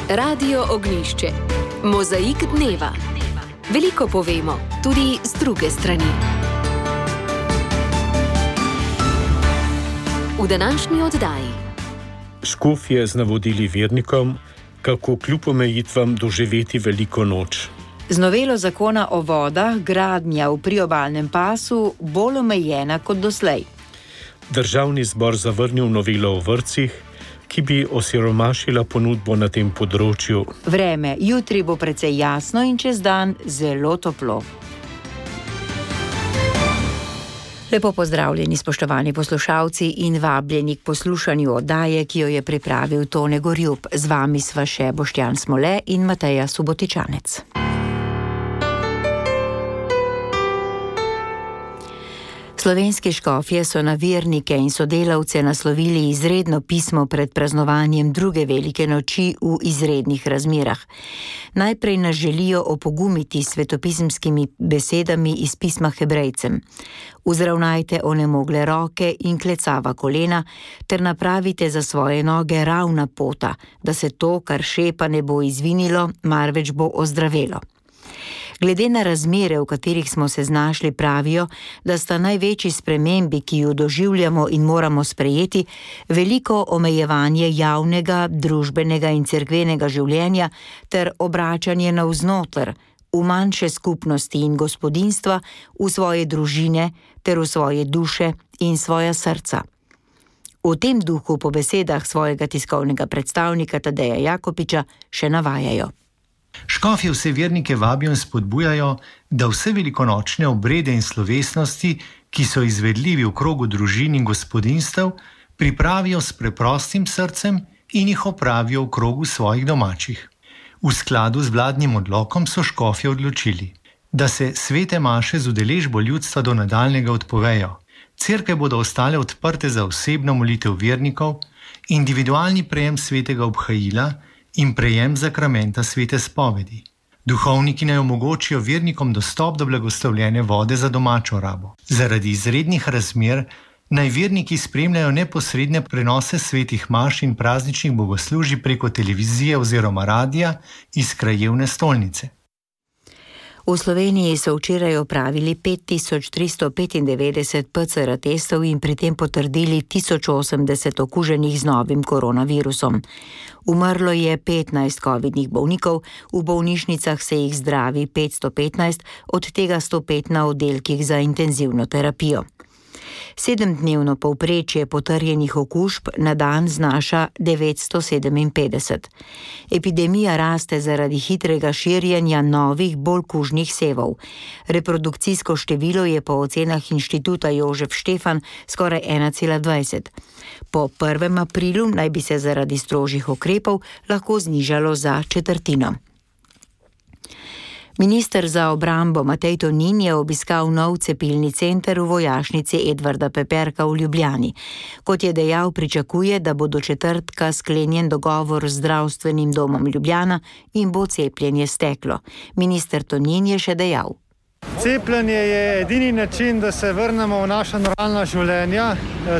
Radio Ognjišče. Mozaik dneva. Veliko povemo, tudi z druge strani. V današnji oddaji. Škofje z navodili vernikom, kako kljub omejitvam doživeti veliko noč. Z novelo zakona o vodah gradnja v priobalnem pasu bolj omejena kot doslej. Državni zbor zavrnil novelo o vrtcih, ki bi osiromašila ponudbo na tem področju. Vreme jutri bo precej jasno in čez dan zelo toplo. Lepo pozdravljeni, spoštovani poslušalci, in vabljeni k poslušanju oddaje, ki jo je pripravil Tone Gorjup. Z vami sva še Boštjan Smole in Mateja Subotičanec. Slovenski škofje so na vernike in sodelavce naslovili izredno pismo pred praznovanjem druge velike noči v izrednih razmerah. Najprej nas želijo opogumiti s svetopisemskimi besedami iz pisma Hebrejcem. Uzravnajte onemogle roke in klecava kolena, ter napravite za svoje noge ravna pota, da se to, kar šepa, ne bo izvinilo, marveč bo ozdravelo. Glede na razmere, v katerih smo se znašli, pravijo, da sta največji spremembi, ki jo doživljamo in moramo sprejeti, veliko omejevanje javnega, družbenega in cerkvenega življenja ter obračanje navznoter, v manjše skupnosti in gospodinjstva, v svoje družine ter v svoje duše in svoja srca. V tem duhu po besedah svojega tiskovnega predstavnika Tadeja Jakopiča še navajajo. Škofje vse vernike vabijo in spodbujajo, da vse velikonočne obrede in slovesnosti, ki so izvedljivi v krogu družin in gospodinjstev, pripravijo s preprostim srcem in jih opravijo v krogu svojih domačih. V skladu z vladnim odlokom so škofje odločili, da se svete maše z udeležbo ljudstva do nadaljnjega odpovejo. Cerkve bodo ostale odprte za osebno molitev vernikov, individualni prejem svetega obhajila in prejem zakramenta svete spovedi. Duhovniki naj omogočijo vernikom dostop do blagoslovljene vode za domačo rabo. Zaradi izrednih razmer naj verniki spremljajo neposredne prenose svetih maš in prazničnih bogoslužij preko televizije oziroma radia iz krajevne stolnice. V Sloveniji so včeraj opravili 5395 PCR testov in pri tem potrdili 1080 okuženih z novim koronavirusom. Umrlo je 15 covidnih bolnikov, v bolnišnicah se jih zdravi 515, od tega 105 na oddelkih za intenzivno terapijo. 7-dnevno povprečje potrjenih okužb na dan znaša 957. Epidemija raste zaradi hitrega širjenja novih, bolj kužnih sevov. Reprodukcijsko število je po ocenah Inštituta Jožef Štefan skoraj 1,20. Po 1. aprilu naj bi se zaradi strožjih ukrepov lahko znižalo za četrtino. Minister za obrambo Matej Tonin je obiskal nov cepilni center v vojašnici Edvarda Peperka v Ljubljani. Kot je dejal, pričakuje, da bo do četrtka sklenjen dogovor z zdravstvenim domom Ljubljana in bo cepljenje steklo. Minister Tonin je še dejal. Cepljenje je edini način, da se vrnemo v naša normalna življenja.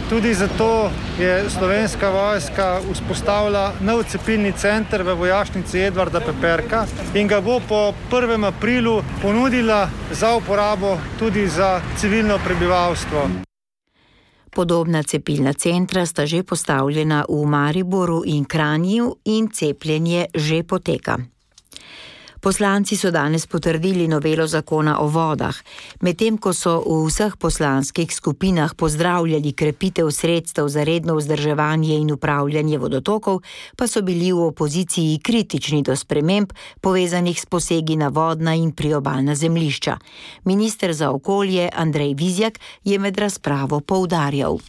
Tudi zato je Slovenska vojska vzpostavila nov cepilni center v vojašnici Edvarda Peperka in ga bo po 1. aprilu ponudila za uporabo tudi za civilno prebivalstvo. Podobna cepilna centra sta že postavljena v Mariboru in Kranju in cepljenje že poteka. Poslanci so danes potrdili novelo zakona o vodah. Medtem ko so v vseh poslanskih skupinah pozdravljali krepitev sredstev za redno vzdrževanje in upravljanje vodotokov, pa so bili v opoziciji kritični do sprememb, povezanih s posegi na vodna in priobalna zemljišča. Minister za okolje Andrej Vizjak je med razpravo poudarjal.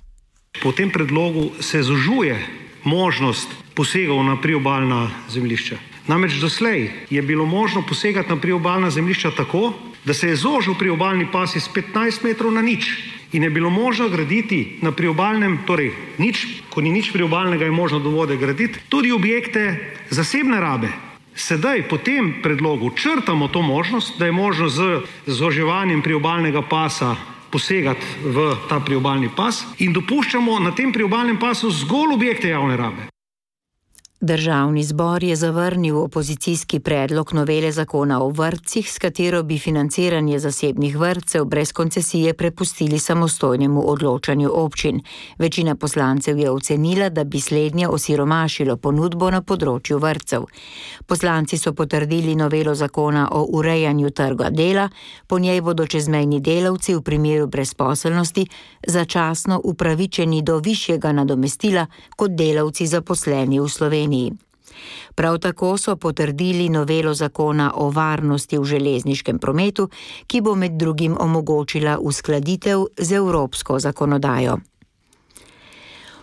Po tem predlogu se zožuje možnost posegov na priobalna zemljišča. Namreč doslej je bilo možno posegati na priobalna zemljišča tako, da se je zožil priobalni pas iz 15 metrov na nič in je bilo možno graditi na priobalnem, torej nič, ko ni nič priobalnega, je možno do vode graditi, tudi objekte zasebne rabe. Sedaj po tem predlogu črtamo to možnost, da je možno z zoževanjem priobalnega pasa posegati v ta priobalni pas in dopuščamo na tem priobalnem pasu zgolj objekte javne rabe. Državni zbor je zavrnil opozicijski predlog novele zakona o vrtcih, s katero bi financiranje zasebnih vrtcev brez koncesije prepustili samostojnemu odločanju občin. Večina poslancev je ocenila, da bi slednje osiromašilo ponudbo na področju vrtcev. Poslanci so potrdili novelo zakona o urejanju trga dela, po njej bodo čezmejni delavci v primeru brezposelnosti začasno upravičeni do višjega nadomestila kot delavci zaposleni v Sloveniji. Prav tako so potrdili novelo zakona o varnosti v železniškem prometu, ki bo med drugim omogočila uskladitev z evropsko zakonodajo.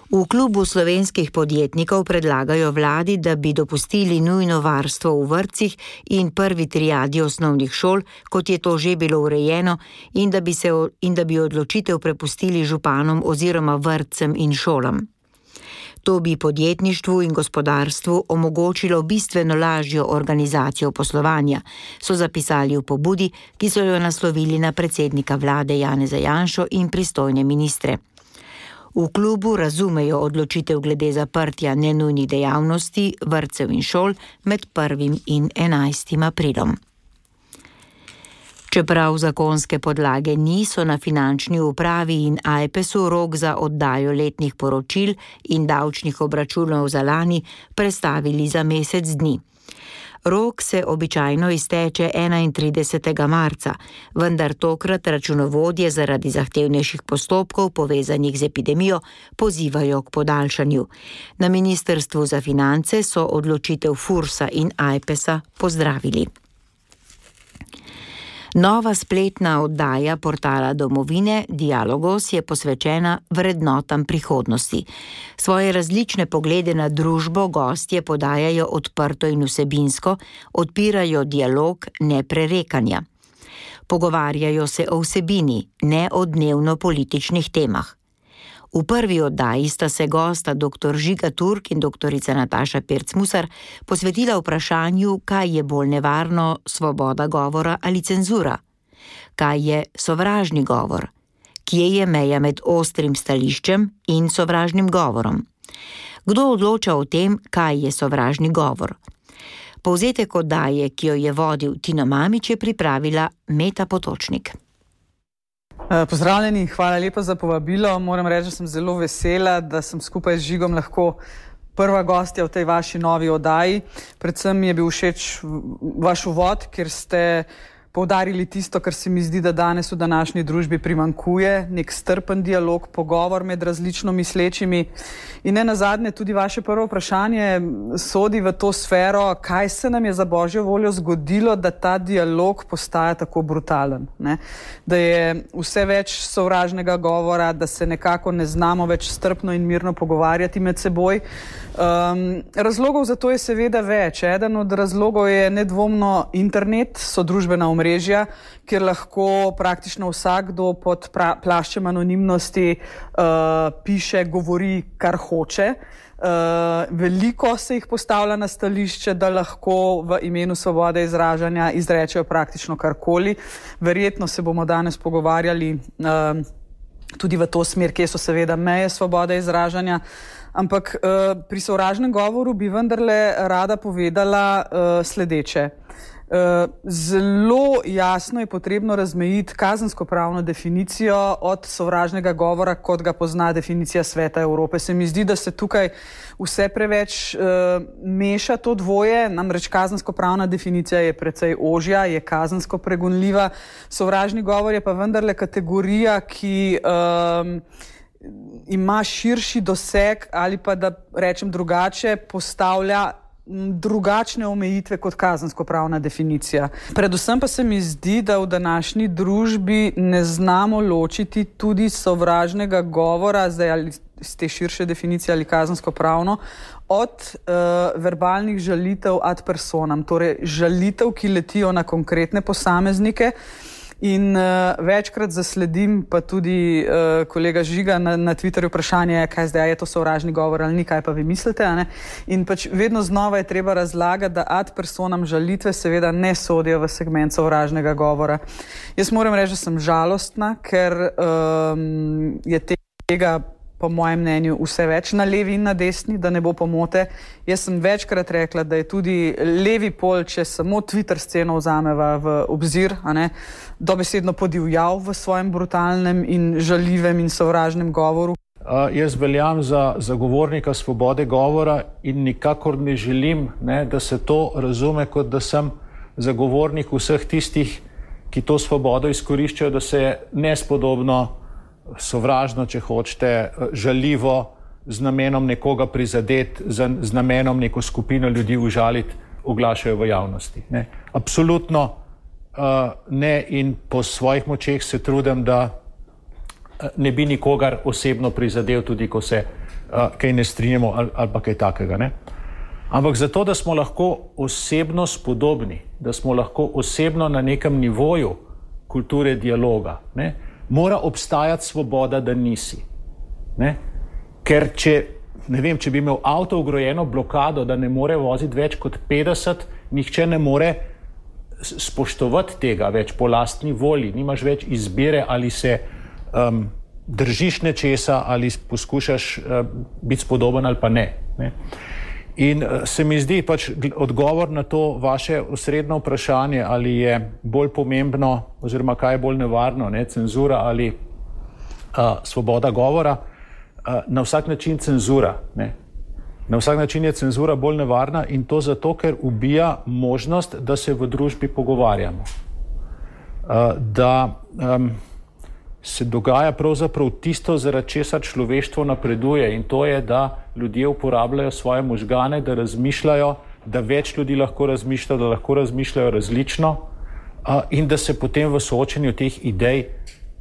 V klubu slovenskih podjetnikov predlagajo vladi, da bi dopustili nujno varstvo v vrtcih in prvi triadi osnovnih šol, kot je to že bilo urejeno, in da bi odločitev prepustili županom oziroma vrtcem in šolam. To bi podjetništvu in gospodarstvu omogočilo bistveno lažjo organizacijo poslovanja, so zapisali v pobudi, ki so jo naslovili na predsednika vlade Janeza Janšo in pristojne ministre. V klubu razumejo odločitev glede zaprtja nenujnih dejavnosti, vrtcev in šol med 1. in 11. aprilom. Čeprav zakonske podlage niso, na finančni upravi in AJPES-u rok za oddajo letnih poročil in davčnih obračunov za lani prestavili za mesec dni. Rok se običajno izteče 31. marca, vendar tokrat računovodje zaradi zahtevnejših postopkov povezanih z epidemijo pozivajo k podaljšanju. Na Ministrstvu za finance so odločitev FURS-a in AJPES-a pozdravili. Nova spletna oddaja portala Domovine Dialogos je posvečena vrednotam prihodnosti. Svoje različne poglede na družbo gostje podajajo odprto in vsebinsko, odpirajo dialog, ne prerekanja. Pogovarjajo se o vsebini, ne o dnevno-političnih temah. V prvi oddaji sta se gosta dr. Žiga Turk in doktorica Nataša Pirc-Musar posvetila vprašanju, kaj je bolj nevarno, svoboda govora ali cenzura. Kaj je sovražni govor? Kje je meja med ostrim stališčem in sovražnim govorom? Kdo odloča o tem, kaj je sovražni govor? Povzetek oddaje, ki jo je vodil Tino Mamić, je pripravila Meta Potočnik. Pozdravljeni, hvala lepa za povabilo. Moram reči, da sem zelo vesela, da sem skupaj z Žigom lahko prva gostja v tej vaši novi oddaji. Predvsem mi je bil všeč vaš uvod, kjer ste poudarili tisto, kar se mi zdi, da danes v današnji družbi primanjkuje, nek strpen dialog, pogovor med različno mislečimi. In ne nazadnje tudi vaše prvo vprašanje sodi v to sfero, kaj se nam je za božjo voljo zgodilo, da ta dialog postaja tako brutalen, ne? Da je vse več sovražnega govora, da se nekako ne znamo več strpno in mirno pogovarjati med seboj. Razlogov za to je seveda več. Eden od razlogov je nedvomno internet, so družbena omrežja, kjer lahko praktično vsakdo pod plaščem anonimnosti piše, govori, kar hoče. Veliko se jih postavlja na stališče, da lahko v imenu svobode izražanja izrečejo praktično karkoli. Verjetno se bomo danes pogovarjali tudi v to smer, kje so seveda meje svobode izražanja. Ampak pri sovražnem govoru bi vendarle rada povedala sledeče. Zelo jasno je potrebno razmejiti kazenskopravno definicijo od sovražnega govora, kot ga pozna definicija Sveta Evrope. Se mi zdi, da se tukaj vse preveč meša to dvoje, namreč kazenskopravna definicija je precej ožja, je kazensko pregonljiva. Sovražni govor je pa vendarle kategorija, ki ima širši doseg ali pa, da rečem drugače, postavlja drugačne omejitve kot kazenskopravna definicija. Predvsem pa se mi zdi, da v današnji družbi ne znamo ločiti tudi sovražnega govora, zdaj ali z te širše definicije ali kazenskopravno, od verbalnih žalitev ad personam, torej žalitev, ki letijo na konkretne posameznike. In večkrat zasledim, pa tudi kolega Žiga na Twitterju vprašanje, kaj zdaj je to sovražni govor ali ni, kaj pa vi mislite, ne? In pač vedno znova je treba razlagati, da ad personam žalitve seveda ne sodijo v segment sovražnega govora. Jaz moram reči, da sem žalostna, ker je tega po mojem mnenju, vse več na levi in na desni, da ne bo pomote. Jaz sem večkrat rekla, da je tudi levi pol, če samo Twitter sceno vzameva v obzir, dobesedno podivjal v svojem brutalnem in žaljivem in sovražnem govoru. Jaz veljam za zagovornika svobode govora in nikakor ne želim, da se to razume, kot da sem zagovornik vseh tistih, ki to svobodo izkoriščajo, da se nespodobno, sovražno, če hočete, žaljivo, z namenom nekoga prizadeti, z namenom neko skupino ljudi užaliti, oglašajo v javnosti. Absolutno ne, in po svojih močeh se trudim, da ne bi nikogar osebno prizadel, tudi ko se kaj ne strinjamo ali pa kaj takega. Ampak zato, da smo lahko osebno spodobni, da smo lahko osebno na nekem nivoju kulture dialoga, mora obstajati svoboda, da nisi. Ker če bi imel avto vgrajeno blokado, da ne more voziti več kot 50, nihče ne more spoštovati tega več po lastni volji. Nimaš več izbire, ali se držiš nečesa ali poskušaš biti spodoben ali pa ne. In se mi zdi odgovor na to vaše osrednjo vprašanje, ali je bolj pomembno oziroma kaj je bolj nevarno, cenzura ali svoboda govora, na vsak način cenzura. Na vsak način je cenzura bolj nevarna in to zato, ker ubija možnost, da se v družbi pogovarjamo. Da se dogaja pravzaprav tisto, zaradi česar človeštvo napreduje, in to je, da ljudje uporabljajo svoje možgane, da razmišljajo, da več ljudi lahko razmišlja, da lahko razmišljajo različno in da se potem v soočenju teh idej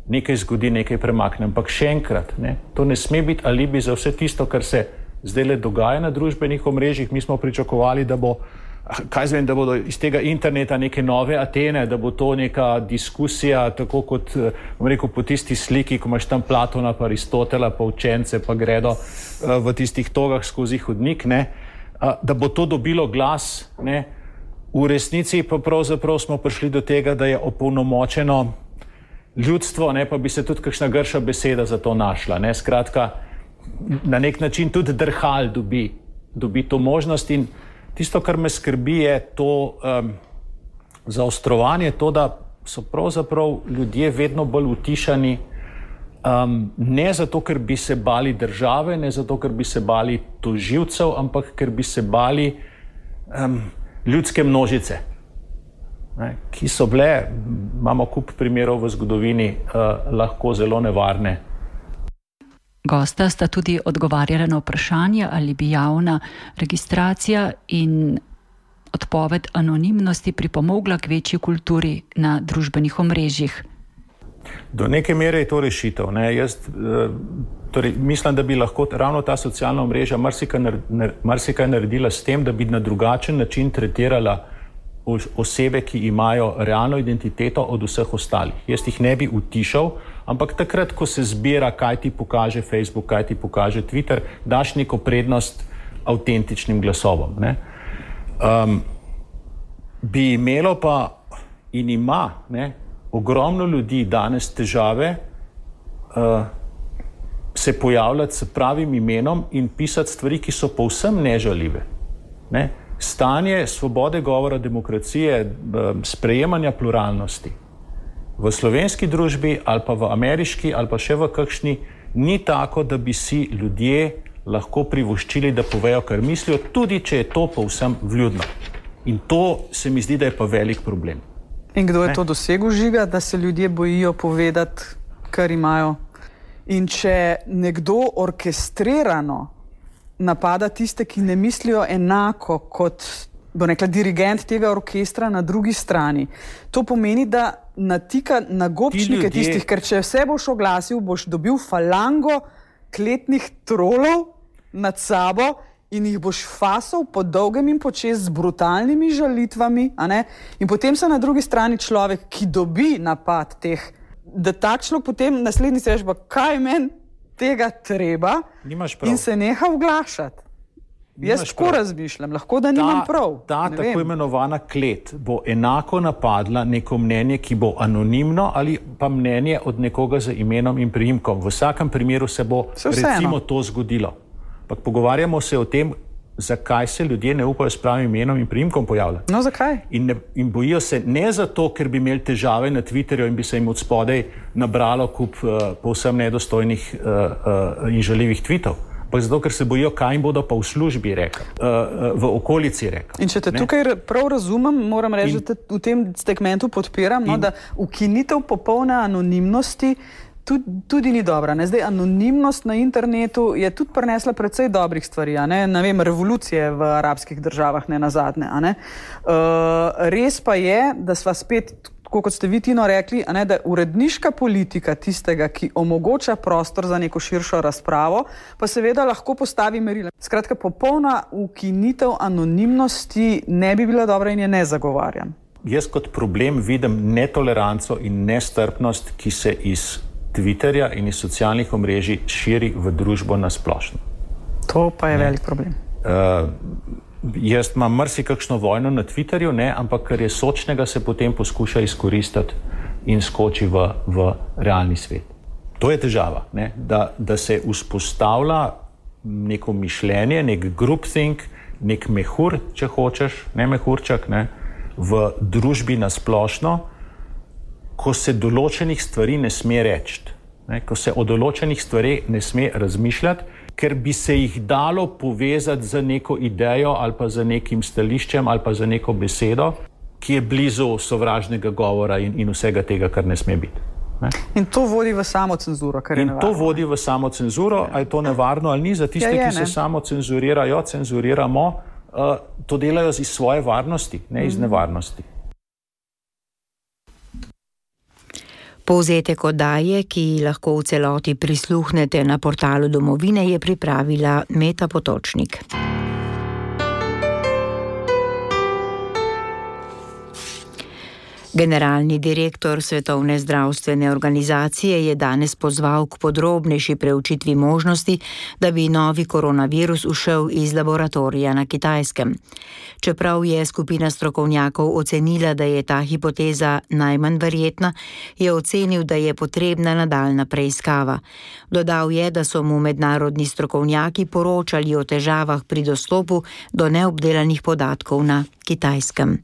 nekaj zgodi, nekaj premakne. Ampak še enkrat, to ne sme biti alibi za vse tisto, kar se zdaj dogaja na družbenih omrežjih. Mi smo pričakovali, da bo da bodo iz tega interneta neke nove Atene, da bo to neka diskusija, tako kot, bom rekel, po tisti sliki, ko imaš tam Platona pa Aristotela pa učence pa gredo v tistih togah skozi hodnik, da bo to dobilo glas, v resnici pa pravzaprav smo prišli do tega, da je opolnomočeno ljudstvo, pa bi se tudi kakšna grša beseda za to našla. Skratka, na nek način tudi drhal dobi to možnost in tisto, kar me skrbi, je to zaostrovanje, to, da so pravzaprav ljudje vedno bolj utišani, ne zato, ker bi se bali države, ne zato, ker bi se bali tožilcev, ampak ker bi se bali ljudske množice, ki so bile, imamo kup primerov v zgodovini, lahko zelo nevarne. Gosta sta tudi odgovarjala na vprašanje, ali bi javna registracija in odpoved anonimnosti pripomogla k večji kulturi na družbenih omrežjih. Do neke mere je to rešitev. Mislim, da bi lahko ravno ta socialna omrežja marsikaj naredila s tem, da bi na drugačen način tretirala osebe, ki imajo realno identiteto od vseh ostalih. Jaz jih ne bi utišal, ampak takrat, ko se zbira, kaj ti pokaže Facebook, kaj ti pokaže Twitter, daš neko prednost avtentičnim glasovom. Bi imelo pa in ima ogromno ljudi danes težave se pojavljati s pravim imenom in pisati stvari, ki so povsem nežaljive. Stanje svobode govora, demokracije, sprejemanja pluralnosti v slovenski družbi ali pa v ameriški ali pa še v kakšni ni tako, da bi si ljudje lahko privoščili, da povejo, kar mislijo, tudi če je to povsem vljudno. In to se mi zdi, da je pa velik problem. In kdo je to dosegel, Žiga, da se ljudje bojijo povedati, kar imajo? In če nekdo orkestrirano napada tiste, ki ne mislijo enako kot, bo rekla, dirigent tega orkestra na drugi strani. To pomeni, da natika na gobčnike tistih, ker če vse boš oglasil, boš dobil falango kletnih trolov nad sabo in jih boš fasal po dolgem in počez z brutalnimi žalitvami, in potem se na drugi strani človek, ki dobi napad teh, da tak človek potem naslednji se reče, kaj meni tega treba in se neha oglašati. Jaz tako razmišljam, lahko da nimam prav. Ta tako imenovana klet bo enako napadla neko mnenje, ki bo anonimno ali pa mnenje od nekoga z imenom in priimkom. V vsakem primeru se bo recimo to zgodilo. Pa pogovarjamo se o tem, zakaj se ljudje ne upajo s pravim imenom in priimkom pojavljati. No, zakaj? In bojijo se ne zato, ker bi imeli težave na Twitterju in bi se jim od spodaj nabralo kup povsem nedostojnih in žaljivih tweetov. Pa zato, ker se bojijo, kaj jim bodo pa v službi rekli, v okolici rekli. In če te tukaj prav razumem, moram reči, da v tem segmentu podpiram, da ukinitev popolne anonimnosti tudi ni dobra. Zdaj, anonimnost na internetu je tudi prinesla precej dobrih stvari, ne vem, revolucije v arabskih državah, ne nazadnje. Res pa je, da sva spet, kot ste vi, Tino, rekli, da je uredniška politika tistega, ki omogoča prostor za neko širšo razpravo, pa seveda lahko postavi merila. Skratka, popolna ukinitev anonimnosti ne bi bila dobra in je ne zagovarjam. Jaz kot problem vidim netoleranco in nestrpnost, ki se iz Twitterja in iz socialnih omrežij širi v družbo nasplošno. To pa je velik problem. Jaz imam marsikakšno vojno na Twitterju, ampak kar je sočnega, se potem poskuša izkoristiti in skoči v realni svet. To je težava, da se vzpostavlja neko mišljenje, nek groupthink, nek mehur, če hočeš, ne mehurčak, v družbi nasplošno, ko se določenih stvari ne sme reči, ko se o določenih stvareh ne sme razmišljati, ker bi se jih dalo povezati z neko idejo ali pa z nekim stališčem ali pa z neko besedo, ki je blizu sovražnega govora in vsega tega, kar ne sme biti. In to vodi v samocenzuro, kar je nevarno. In to vodi v samocenzuro, a je to nevarno ali ni za tiste, ki se samocenzurirajo, cenzuriramo, to delajo iz svoje varnosti, ne iz nevarnosti. Povzetek oddaje, ki lahko v celoti prisluhnete na portalu Domovine, je pripravila Meta Potočnik. Generalni direktor Svetovne zdravstvene organizacije je danes pozval k podrobnejši preučitvi možnosti, da bi novi koronavirus ušel iz laboratorija na Kitajskem. Čeprav je skupina strokovnjakov ocenila, da je ta hipoteza najmanj verjetna, je ocenil, da je potrebna nadaljnja preiskava. Dodal je, da so mu mednarodni strokovnjaki poročali o težavah pri dostopu do neobdelanih podatkov na Kitajskem.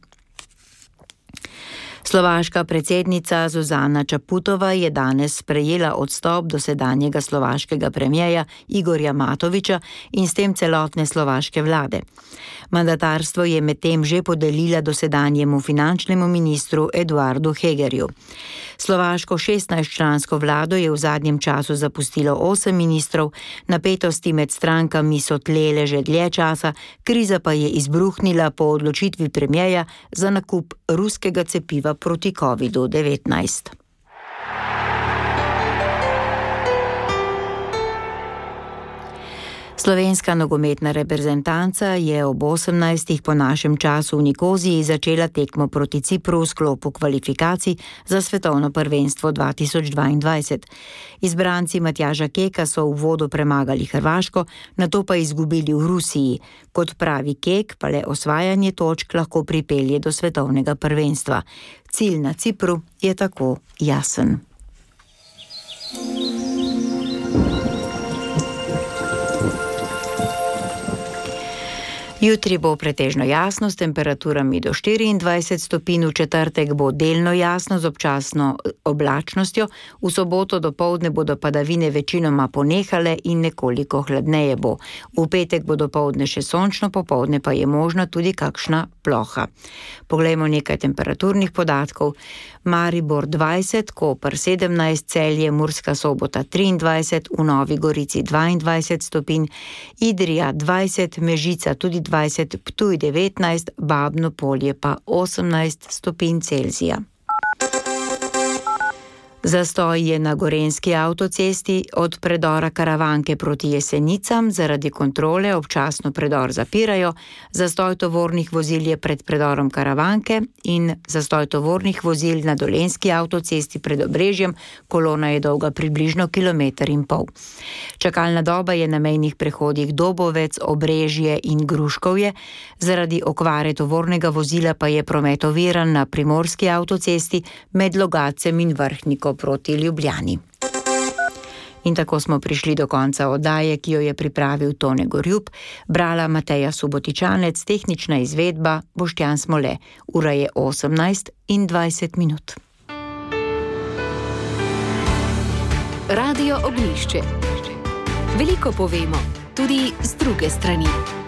Slovaška predsednica Zuzana Čaputova je danes sprejela odstop dosedanjega slovaškega premierja Igorja Matoviča in s tem celotne slovaške vlade. Mandatarstvo je medtem že podelila dosedanjemu finančnemu ministru Eduardu Hegerju. Slovaško 16-člansko vlado je v zadnjem času zapustilo 8 ministrov, napetosti med strankami so tlele že dlje časa, kriza pa je izbruhnila po odločitvi premierja za nakup ruskega cepiva proti COVID-19. Slovenska nogometna reprezentanca je ob 18. po našem času v Nikoziji začela tekmo proti Cipru v sklopu kvalifikacij za svetovno prvenstvo 2022. Izbranci Matjaža Keka so v uvodu premagali Hrvaško, nato pa izgubili v Rusiji. Kot pravi Kek, pa le osvajanje točk lahko pripelje do svetovnega prvenstva. Cilj na Cipru je tako jasen. Jutri bo pretežno jasno s temperaturami do 24 stopinj, v četrtek bo delno jasno z občasno oblačnostjo, v soboto dopoldne bodo padavine večinoma ponehale in nekoliko hladneje bo. V petek bo dopoldne še sončno, popoldne pa je možna tudi kakšna ploha. Poglejmo nekaj temperaturnih podatkov. Maribor 20, Koper 17, Celje, Murska Sobota 23, v Novi Gorici 22 stopinj, Idrija 20, Mežica tudi 20, Ptuj 19, Babno Polje pa 18 stopinj Celzija. Zastoj je na Gorenjski avtocesti od predora Karavanke proti Jesenicam, zaradi kontrole občasno predor zapirajo, zastoj tovornih vozil je pred predorom Karavanke in zastoj tovornih vozil na Dolenjski avtocesti pred Obrežjem, kolona je dolga približno 1,5 km. Čakalna doba je na mejnih prehodih Dobovec, Obrežje in Gruškovje, zaradi okvare tovornega vozila pa je promet oviran na Primorski avtocesti med Logacem in Vrhniko proti Ljubljani. In tako smo prišli do konca oddaje, ki jo je pripravil Tone Gorjup, brala Mateja Subotičanec, tehnična izvedba Boštjan Smole. Ura je 18:20. Radio Ognjišče. Veliko povemo, tudi z druge strani.